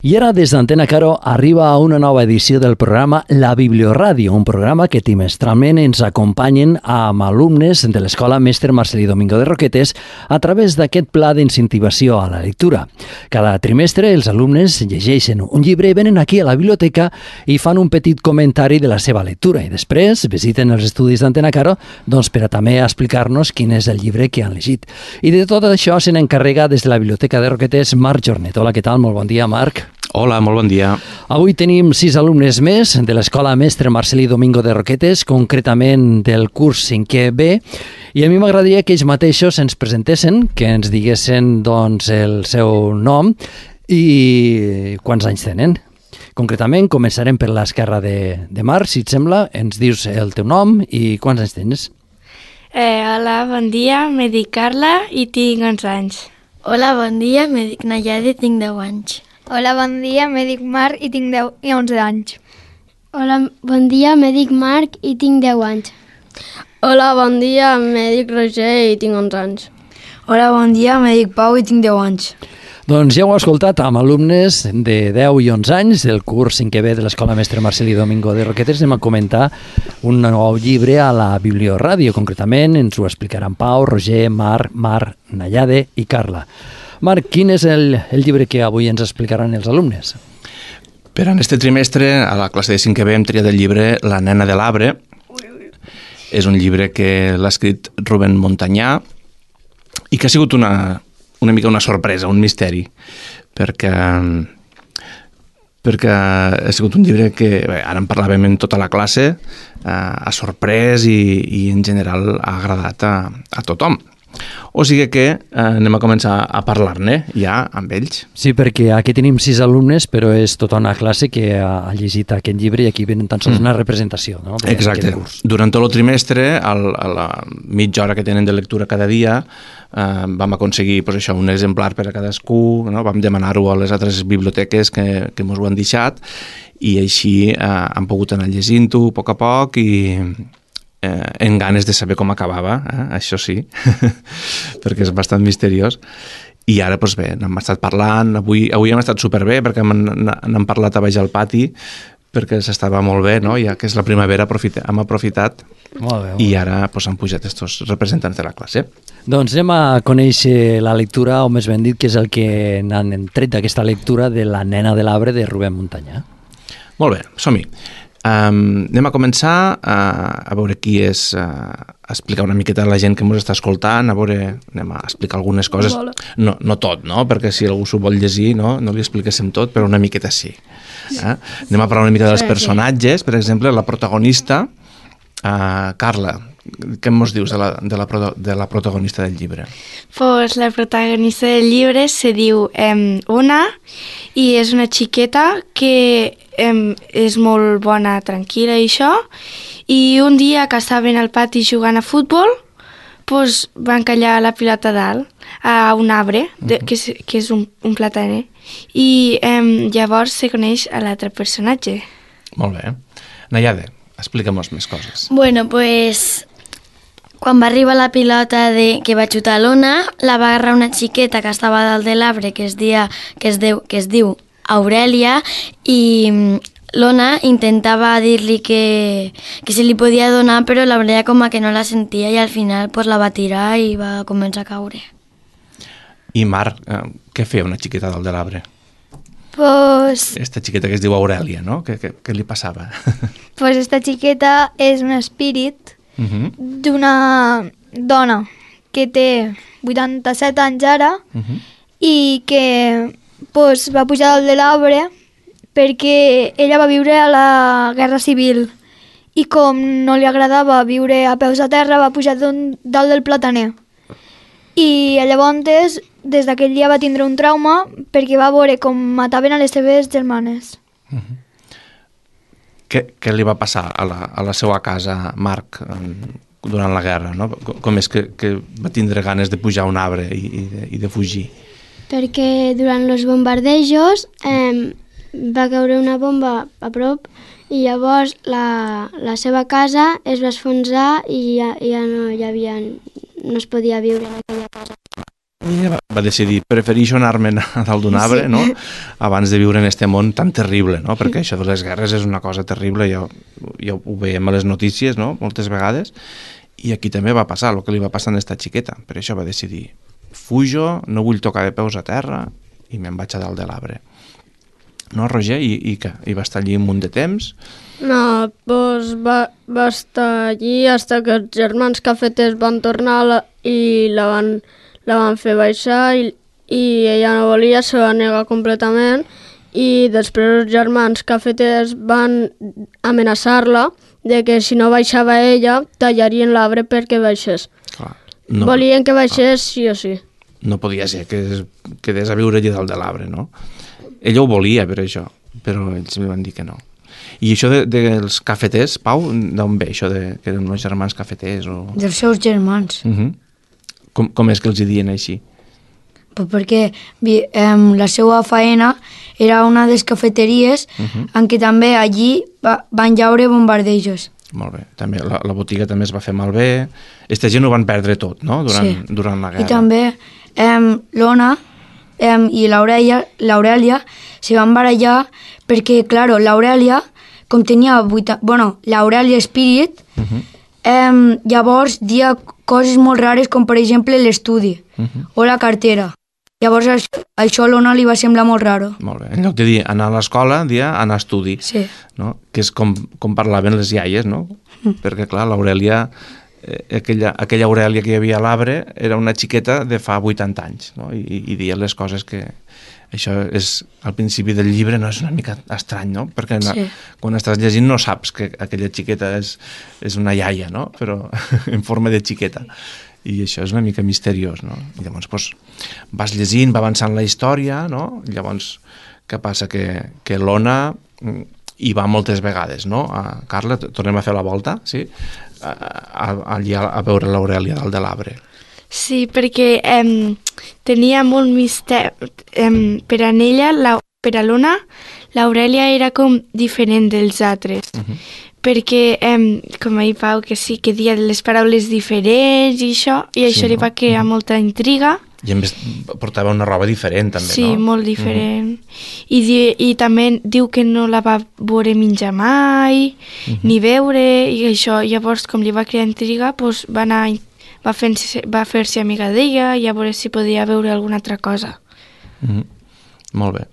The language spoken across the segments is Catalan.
I ara, des d'Antena Caro, arriba a una nova edició del programa La Biblioràdio, un programa que trimestralment ens acompanyen amb alumnes de l'Escola Mestre Marcelí Domingo de Roquetes a través d'aquest pla d'incentivació a la lectura. Cada trimestre els alumnes llegeixen un llibre i venen aquí a la biblioteca i fan un petit comentari de la seva lectura i després visiten els estudis d'Antena Caro per a també explicar-nos quin és el llibre que han llegit. I de tot això se n'encarrega des de la Biblioteca de Roquetes Marc Jornet. Hola, què tal? Molt bon dia, Marc. Hola, molt bon dia. Avui tenim 6 alumnes més de l'Escola Mestre Marcelí Domingo de Roquetes, concretament del curs 5è B, i a mi m'agradaria que ells mateixos ens presentessin, que ens diguessin el seu nom i quants anys tenen. Concretament, començarem per l'esquerra de Marc, si et sembla, ens dius el teu nom i quants anys tens. Hola, bon dia, me dic Carla i tinc 11 anys. Hola, bon dia, me dic Nayade i tinc 10 anys. Hola, bon dia, me dic Marc i tinc 10 i 11 anys. Hola, bon dia, me dic Marc i tinc 10 anys. Hola, bon dia, me dic Roger i tinc 11 anys. Hola, bon dia, me dic Pau i tinc 10 anys. Doncs ja ho heu escoltat amb alumnes de 10 i 11 anys del curs 5è B de l'Escola Mestre Marcelí Domingo de Roquetes. Anem a comentar un nou llibre a la Biblioràdio. Concretament ens ho explicaran Pau, Roger, Marc, Nayade i Carla. Marc, quin és el llibre que avui ens explicaran els alumnes? Per en este trimestre, a la classe de 5è B, hem triat el llibre La nena de l'arbre. És un llibre que l'ha escrit Rubén Montanyà i que ha sigut una mica una sorpresa, un misteri, perquè ha sigut un llibre que ara en parlàvem en tota la classe, ha sorprès i en general ha agradat a tothom. O sigui que anem a començar a parlar-ne ja amb ells. Sí, perquè aquí tenim 6 alumnes, però és tota una classe que ha llegit aquest llibre i aquí venen tan sols una representació, no? Exacte. Durant tot el trimestre, a la mitja hora que tenen de lectura cada dia, vam aconseguir un exemplar per a cadascú, no? Vam demanar-ho a les altres biblioteques que ens ho han deixat i així han pogut anar llegint-ho a poc i en ganes de saber com acabava, això sí, perquè és bastant misteriós. I ara, doncs bé, n'hem estat parlant, avui hem estat superbé perquè n'hem parlat a baix al pati, perquè s'estava molt bé, no? Ja que és la primavera hem aprofitat i ara han pujat estos representants de la classe. Doncs anem a conèixer la lectura, o més ben dit, que és el que n'han tret d'aquesta lectura de La nena de l'arbre de Rubén Montanyà. Molt bé, som-hi. Anem a començar a veure qui és, a explicar una miqueta a la gent que ens està escoltant, anem a explicar algunes coses, no tot, no? Perquè si algú s'ho vol llegir no li expliquéssim tot, però una miqueta sí. Anem a parlar una mica dels personatges, per exemple, la protagonista, Carla, què ens dius de la protagonista del llibre? Pues la protagonista del llibre se diu Una i és una xiqueta que és molt bona, tranquil·la i això, i un dia que estaven al pati jugant a futbol pues, van callar la pilota dalt a un arbre, que és un plataner, i llavors se coneix a l'altre personatge. Molt bé. Nayade, explica'm-nos més coses. Bueno, pues quan va arribar la pilota que va xutar l'Ona, la va agarrar una xiqueta que estava dalt de l'arbre que es diu Aurèlia, i l'Ona intentava dir-li que se li podia donar, però l'Aurèlia com que no la sentia i al final la va tirar i va començar a caure. I Marc, què feia una xiqueta dalt de l'arbre? Pues esta xiqueta que es diu Aurèlia, no? Què li passava? Pues esta xiqueta és un espírit d'una dona que té 87 anys ara i que va pujar dalt de l'arbre perquè ella va viure a la Guerra Civil i com no li agradava viure a peus a terra va pujar dalt del plataner. I llavors, des d'aquell dia va tindre un trauma perquè va veure com mataven a les seves germanes. Què li va passar a la seva casa, Marc, durant la guerra? No? Com és que va tindre ganes de pujar a un arbre i de fugir? Perquè durant els bombardejos va caure una bomba a prop i llavors la seva casa es va esfonsar i ja no es podia viure en aquella casa. va decidir, prefereixo anar-me'n a dalt d'un arbre, no?, abans de viure en este món tan terrible, no?, perquè això de les guerres és una cosa terrible, ja ho veiem a les notícies, no?, moltes vegades, i aquí també va passar el que li va passar a esta xiqueta. Per això va decidir, fujo, no vull tocar de peus a terra, i me'n vaig a dalt de l'arbre. No, Roger? I què? I va estar allí un munt de temps? No, doncs va estar allí fins que els germans cafeters van tornar i la van fer baixar i ella no volia, se va negar completament i després els germans cafeters van amenaçar-la de que si no baixava ella tallarien l'arbre perquè baixés. Clar, Volien que baixés sí o sí. No podia ser que quedés a viure allà dalt de l'arbre, no? Ella ho volia per això, però ells li van dir que no. I això dels cafeters, Pau, d'on ve això que eren uns germans cafeters? Dels seus germans. Com és que els hi diuen així? Pues perquè la seva faena era una de les cafeteries en què també allí van llaure bombardejos. Molt bé. També, la botiga també es va fer malbé. Aquesta gent ho van perdre tot, no?, durant la guerra. I també l'Ona i l'Aurèlia se van barallar perquè, clar, l'Aurèlia, com tenia l'Aurèlia Spirit, llavors dia coses molt rares com, per exemple, l'estudi o la cartera. Llavors això a l'Ona li va semblar molt raro. Molt bé. En lloc de dir anar a l'escola, dia anar a estudi. Sí. No? Que és com parlaven les iaies, no? Perquè, clar, l'Aurèlia, aquella Aurèlia que hi havia a l'arbre era una xiqueta de fa 80 anys, no? I deia les coses que... Això és, al principi del llibre, no és una mica estrany, no? Perquè quan estàs llegint no saps que aquella xiqueta és una iaia, no? Però en forma de xiqueta. I això és una mica misteriós, no? I llavors vas llegint, va avançant la història, no? Llavors, què passa? Que l'Ona hi va moltes vegades, no? Carla, tornem a fer la volta, sí? Allà a veure l'Aurèlia dalt de l'arbre. Sí, perquè tenia molt misteri. Per a ella, per a l'Ona, l'Aurèlia era com diferent dels altres. Perquè, com ahir Pau, que sí, que deia les paraules diferents i això li va crear molta intriga. I a més portava una roba diferent, també, sí, no? Sí, molt diferent. I també diu que no la va veure menjar mai, ni veure, i això, llavors, com li va crear intriga, doncs va fer-se amiga d'ella i a veure si podia veure alguna altra cosa. Molt bé.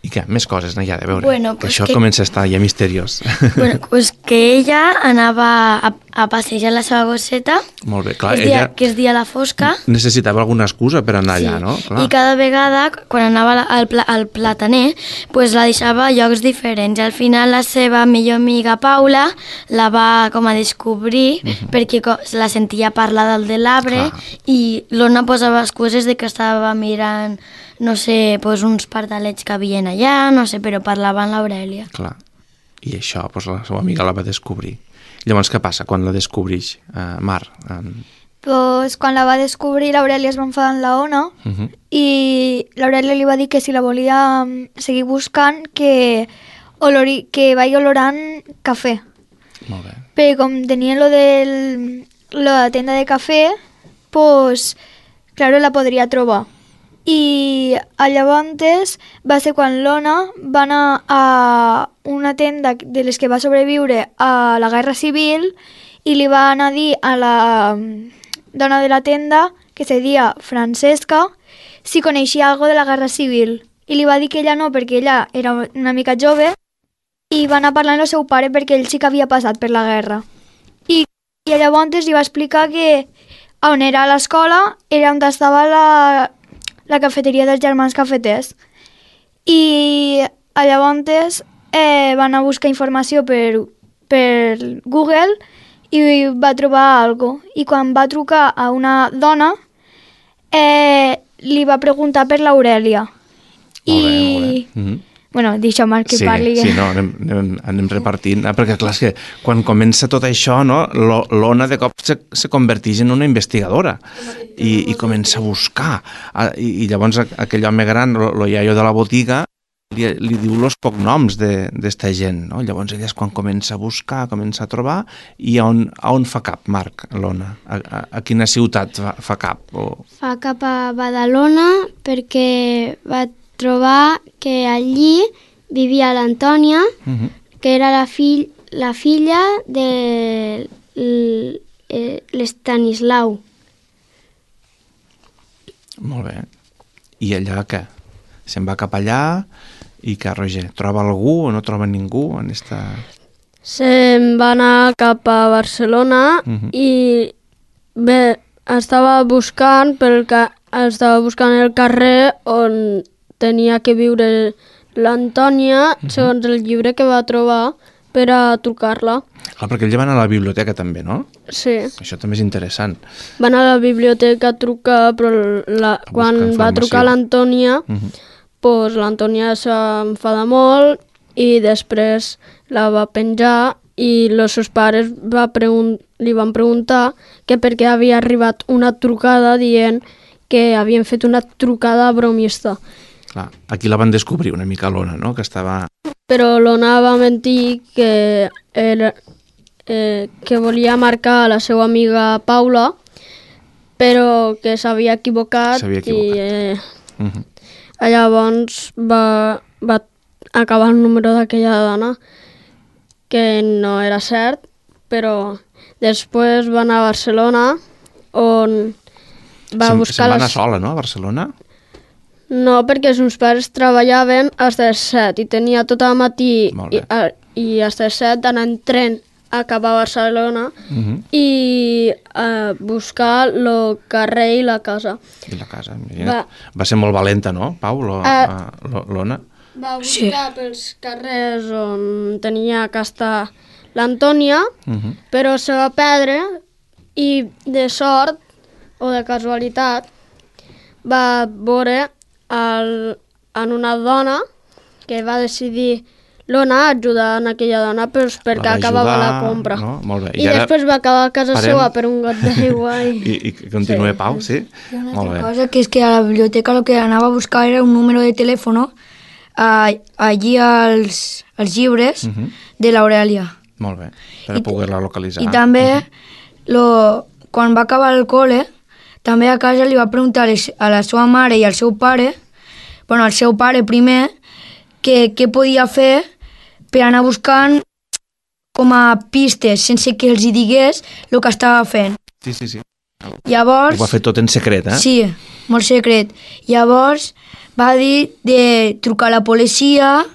I què? Més coses n'hi ha de veure? Bueno, que això comença a estar ja misteriós. Bueno, pues que ella anava a passejar la seva gosseta. Molt bé, clar. Que és dia a la fosca. Necessitava alguna excusa per anar allà, no? Clar. I cada vegada, quan anava al plataner, pues la deixava a llocs diferents. I al final la seva millor amiga Paula la va com a descobrir perquè la sentia parlar dalt de l'arbre i l'Ona posava excuses de que estava mirant, no sé, pues uns pardalets que havien allà, no sé, però parlava amb l'Aurèlia. Clar. I això, pues, la seva amiga la va descobrir. Llavors, què passa quan la descobreix, Mar? Pues quan la va descobrir, l'Aurèlia es va enfadar amb l'Ona i l'Aurèlia li va dir que si la volia seguir buscant, que vagi olorant cafè. Molt bé. Perquè com tenien lo de la tenda de cafè, pues, claro, la podria trobar. I llavors va ser quan l'Ona va anar a una tenda de les que va sobreviure a la Guerra Civil i li va anar a dir a la dona de la tenda, que se deia Francesca, si coneixia alguna de la Guerra Civil. I li va dir que ella no, perquè ella era una mica jove, i va anar parlant amb el seu pare perquè ell sí que havia passat per la guerra. I llavors li va explicar que on era a l'escola era on estava la cafeteria dels germans cafeters. I llavors va anar a buscar informació per Google i va trobar alguna cosa. I quan va trucar a una dona, li va preguntar per l'Aurèlia. Molt bé. Bueno, deixa'm que parli. Sí, no, anem repartint. Perquè clar, és que quan comença tot això, no, l'Ona de cop se converteix en una investigadora i comença a buscar. I llavors aquell home gran, el iaio de la botiga, li diu els cognoms d'esta gent, no? Llavors ella és quan comença a buscar, comença a trobar, i a on fa cap, Marc, l'Ona? A quina ciutat fa cap? Fa cap a Badalona perquè va trobar que allí vivia l'Antònia, que era la filla de l'Estanislau. Molt bé. I allà què? Se'n va cap allà i què, Roger? Troba algú o no troba ningú en esta... Se'n va anar cap a Barcelona i bé, estava buscant el carrer on tenia que viure l'Antònia, segons el llibre que va trobar, per a trucar-la. Clar, perquè ell va anar a la biblioteca també, no? Sí. Això també és interessant. Va anar a la biblioteca a trucar, però quan va trucar l'Antònia, doncs l'Antònia s'enfada molt i després la va penjar i els seus pares li van preguntar que per què havia arribat una trucada dient que havien fet una trucada bromista. Clar, aquí la van descobrir una mica l'Ona, no? Que estava... Però l'Ona va mentir que volia marcar a la seva amiga Paula, però que s'havia equivocat. I llavors va acabar el número d'aquella dona, que no era cert, però després va anar a Barcelona, on va buscar... Se'n va anar sola, no, a Barcelona? No, perquè els meus pares treballaven fins les 7 i tenia tot el matí i fins les 7 d'anar en tren a cap a Barcelona i buscar el carrer i la casa. I la casa, va ser molt valenta, no, Pau, l'Ona? Va buscar pels carrers on tenia que estar l'Antònia, però se va perdre i de sort o de casualitat va veure en una dona que va decidir l'Ona ajudar en aquella dona perquè acabava la compra. No? Molt bé. I després va acabar a casa seva per un got d'aigua. I continua, Pau, sí? Molt bé. Una cosa que és que a la biblioteca el que anava a buscar era un número de telèfon allí als llibres de l'Aurèlia. Molt bé, per poder-la localitzar. I també, quan va acabar el col·le, també a casa li va preguntar a la seva mare i al seu pare, bueno, al seu pare primer, què podia fer per anar buscant com a pistes, sense que els hi digués el que estava fent. Sí. Llavors... Ho va fer tot en secret, eh? Sí, molt secret. Llavors va dir de trucar a la policia,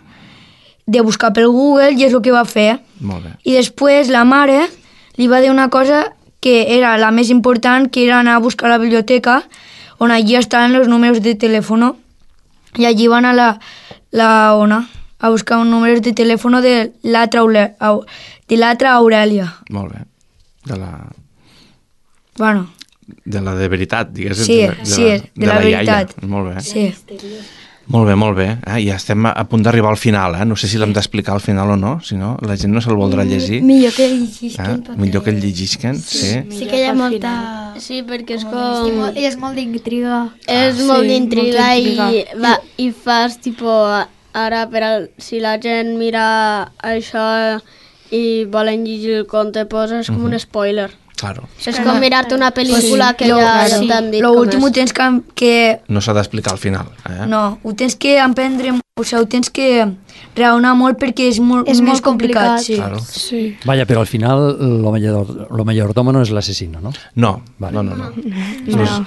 de buscar pel Google, i és el que va fer. Molt bé. I després la mare li va dir una cosa que era la més important, que era anar a buscar a la biblioteca, on allí estaven els números de telèfon, i allí va anar la Ona a buscar un número de telèfon de l'altra Aurèlia. Molt bé. Bueno. De la de veritat, diguéssim. Sí, de la veritat. Iaia. Molt bé. Sí. Molt bé. Ja estem a punt d'arribar al final, eh? No sé si l'hem d'explicar al final o no, si no, la gent no se'l voldrà llegir. Millor que el llegisquen. Millor que el llegisquen, sí. Sí que hi ha molta... Sí, perquè és com... És molt d'intriga. És molt d'intriga i fas, ara si la gent mira això i volen llegir el conte, és com un spoiler. Claro. És com mirar-te una pel·lícula que ja t'han dit com és. L'últim ho tens que... No s'ha d'explicar al final, eh? No, ho tens que emprendre, ho tens que raonar molt perquè és més complicat. Sí. Claro. Sí. Vaya, però al final lo mayordomo no és l'assassino, no? No, vale. no.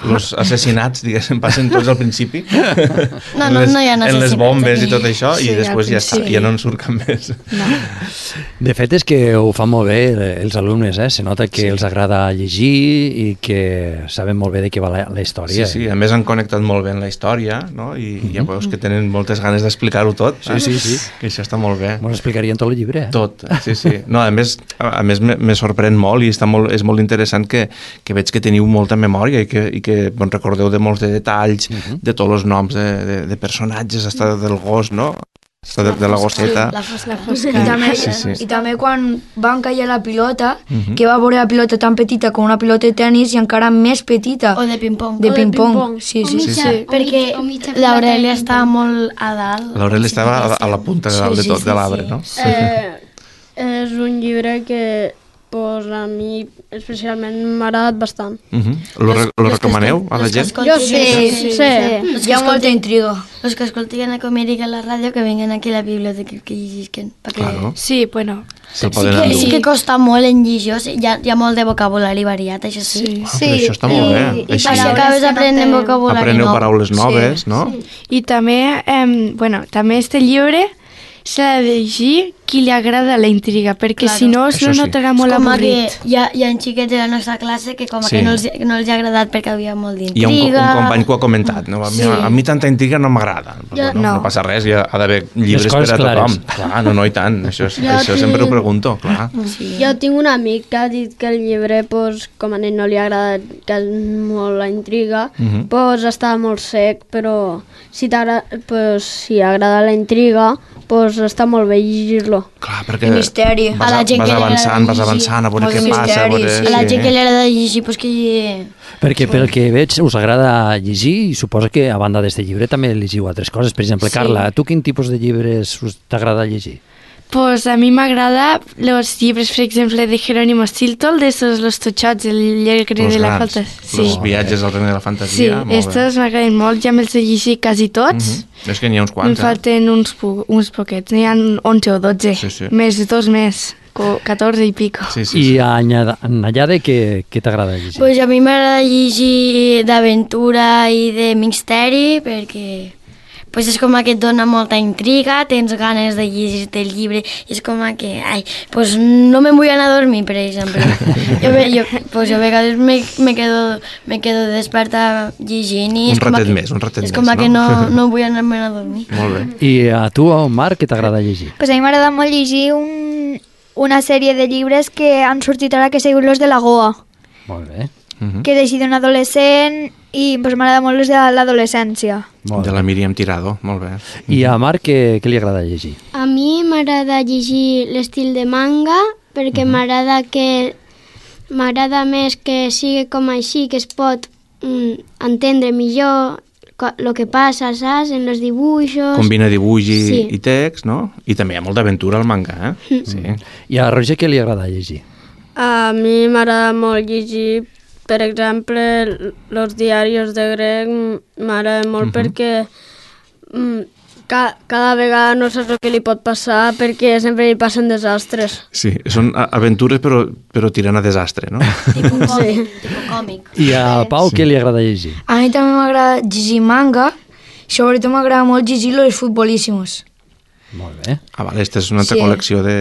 Los assassinats, diguéssim, passen tots al principi. No hi ha assassinats. En les bombes i tot això, sí, i després ja està, ja no en surt cap més. No. De fet, és que ho fan molt bé els alumnes, Se nota que els agrada llegir i que saben molt bé de què va la història. Sí, a més han connectat molt bé en la història, no? I ja veus que tenen moltes ganes d'explicar-ho tot. Sí. Que això està molt bé. M'ho explicarien tot el llibre, Tot, sí. No, a més me sorprèn molt i és molt interessant que veig que teniu molta memòria i que recordeu de molts de detalls, de tots els noms de personatges, hasta del gos, no? de la gosseta. La fosca. I també quan van caure la pilota, que va veure la pilota tan petita com una pilota de tennis i encara més petita. O de ping-pong. De ping-pong. Sí. Perquè l'Aurèlia estava molt a dalt. L'Aurèlia estava a la punta de dalt de tot, de l'arbre, no? És un llibre que pues, a mi especialment m'ha agradat bastant. Lo recomaneu a la gent? Jo sí. Hi ha molta intriga. Els que escolten a Comèrica a la ràdio que vinguen aquí a la biblioteca que llegeixen. Claro. Sí, bueno. Se'l poden endur. Sí que costa molt en llegir, hi ha molt de vocabulari variat, això sí. Però això està molt bé. I així acabes aprenent vocabulari apreneu nou. paraules noves, no? I també, també este llibre s'ha de llegir qui li agrada la intriga, perquè si no es Això sí. notarà molt Com avorrit. que hi ha xiquets de la nostra classe que com que no els ha agradat perquè havia molt Hi ha d'intriga. un company que ho ha comentat, no? A mi tanta intriga no m'agrada. No passa res, ha d'haver llibres per a tothom. Clar, no, i tant, això sempre ho pregunto, clar. Jo tinc un amic que ha dit que el llibre, pues, com a ell no li ha agradat que és molt la intriga, pues, està molt sec, però si agrada la intriga, pues, està molt bé llegir-lo. Clar, perquè misteri. vas avançant, a veure què passa. A la gent que li agrada llegir, pues que... Perquè pel que veig us agrada llegir i suposo que a banda d'este llibre també llegiu altres coses. Per exemple, Carla, tu quin tipus de llibres t'agrada llegir? Pues a mi m'agrada los llibres, per exemple, de Jerónimo Stilton, de esos los totxots, el llegre de la fantasia. Els viatges al regne de la fantasia. Sí, estos m'agraden molt, ja me'ls he llegit quasi tots. És que n'hi ha uns Em quants, falten uns poquets, n'hi ha 11 o 12, més de 2 més, 14 i pico. I a Nayade, què t'agrada llegir? Pues a mi m'agrada llegir d'aventura i de misteri perquè pues és com que et dona molta intriga, tens ganes de llegir-te el llibre i és com que, pues no me vull anar a dormir, per exemple. jo a vegades me quedo desperta llegint i un ratet més, és com que no vull anar-me'n a dormir. Molt bé. I a tu, Marc, què t'agrada llegir? Pues a mi m'agrada molt llegir una sèrie de llibres que han sortit ara que seguim los de la Goa. Molt bé. Que és així d'un adolescent i pues, m'agrada molt los de l'adolescència. De la Míriam Tirado, molt bé. I a Marc, què li agrada llegir? A mi m'agrada llegir l'estil de manga perquè m'agrada més que sigui com així, que es pot entendre millor el que passa, saps? En els dibuixos... Combina dibuix i text, no? I també hi ha molta aventura al manga, eh? Sí. I a Roger què li agrada llegir? A mi m'agrada molt llegir, per exemple, els diaris de grec m'agrada molt perquè cada vegada no saps el que li pot passar perquè sempre li passen desastres. Sí, són aventures però tirant a desastre, no? Tipus còmic. I a Pau què li agrada llegir? A mi també m'agrada llegir manga, sobretot m'agrada molt llegir Los Futbolísimos. Molt bé. Vale, aquesta és una altra col·lecció de...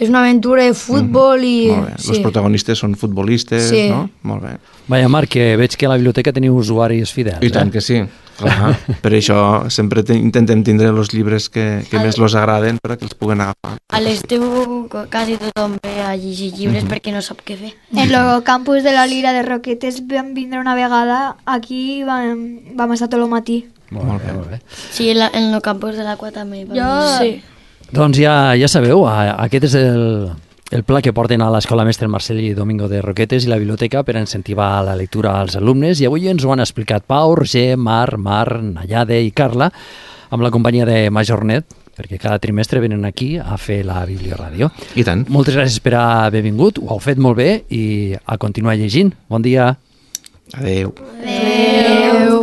És una aventura de futbol i... Molt bé. Els protagonistes són futbolistes, no? Molt bé. Vaja, Marc, que veig que a la biblioteca teniu usuaris fidels. I tant que sí. Clar. Per això sempre intentem tindre els llibres que més els agraden perquè els puguen agafar. A l'estiu quasi tothom ve a llegir llibres perquè no sap què fer. En el campus de la Lira de Roquetes vam vindre una vegada aquí i vam estar tot el matí. Molt bé. Sí, en el campus de l'Aqua també. Sí. Doncs ja sabeu, aquest és el pla que porten a l'Escola Mestre Marceli Domingo de Roquetes i la biblioteca per incentivar la lectura als alumnes i avui ens ho han explicat Pau, Roger, Marc, Nayade i Carla amb la companyia de Majornet, perquè cada trimestre venen aquí a fer la Biblioràdio. I tant. Moltes gràcies per haver vingut, ho heu fet molt bé i a continuar llegint. Bon dia. Adeu. Adeu.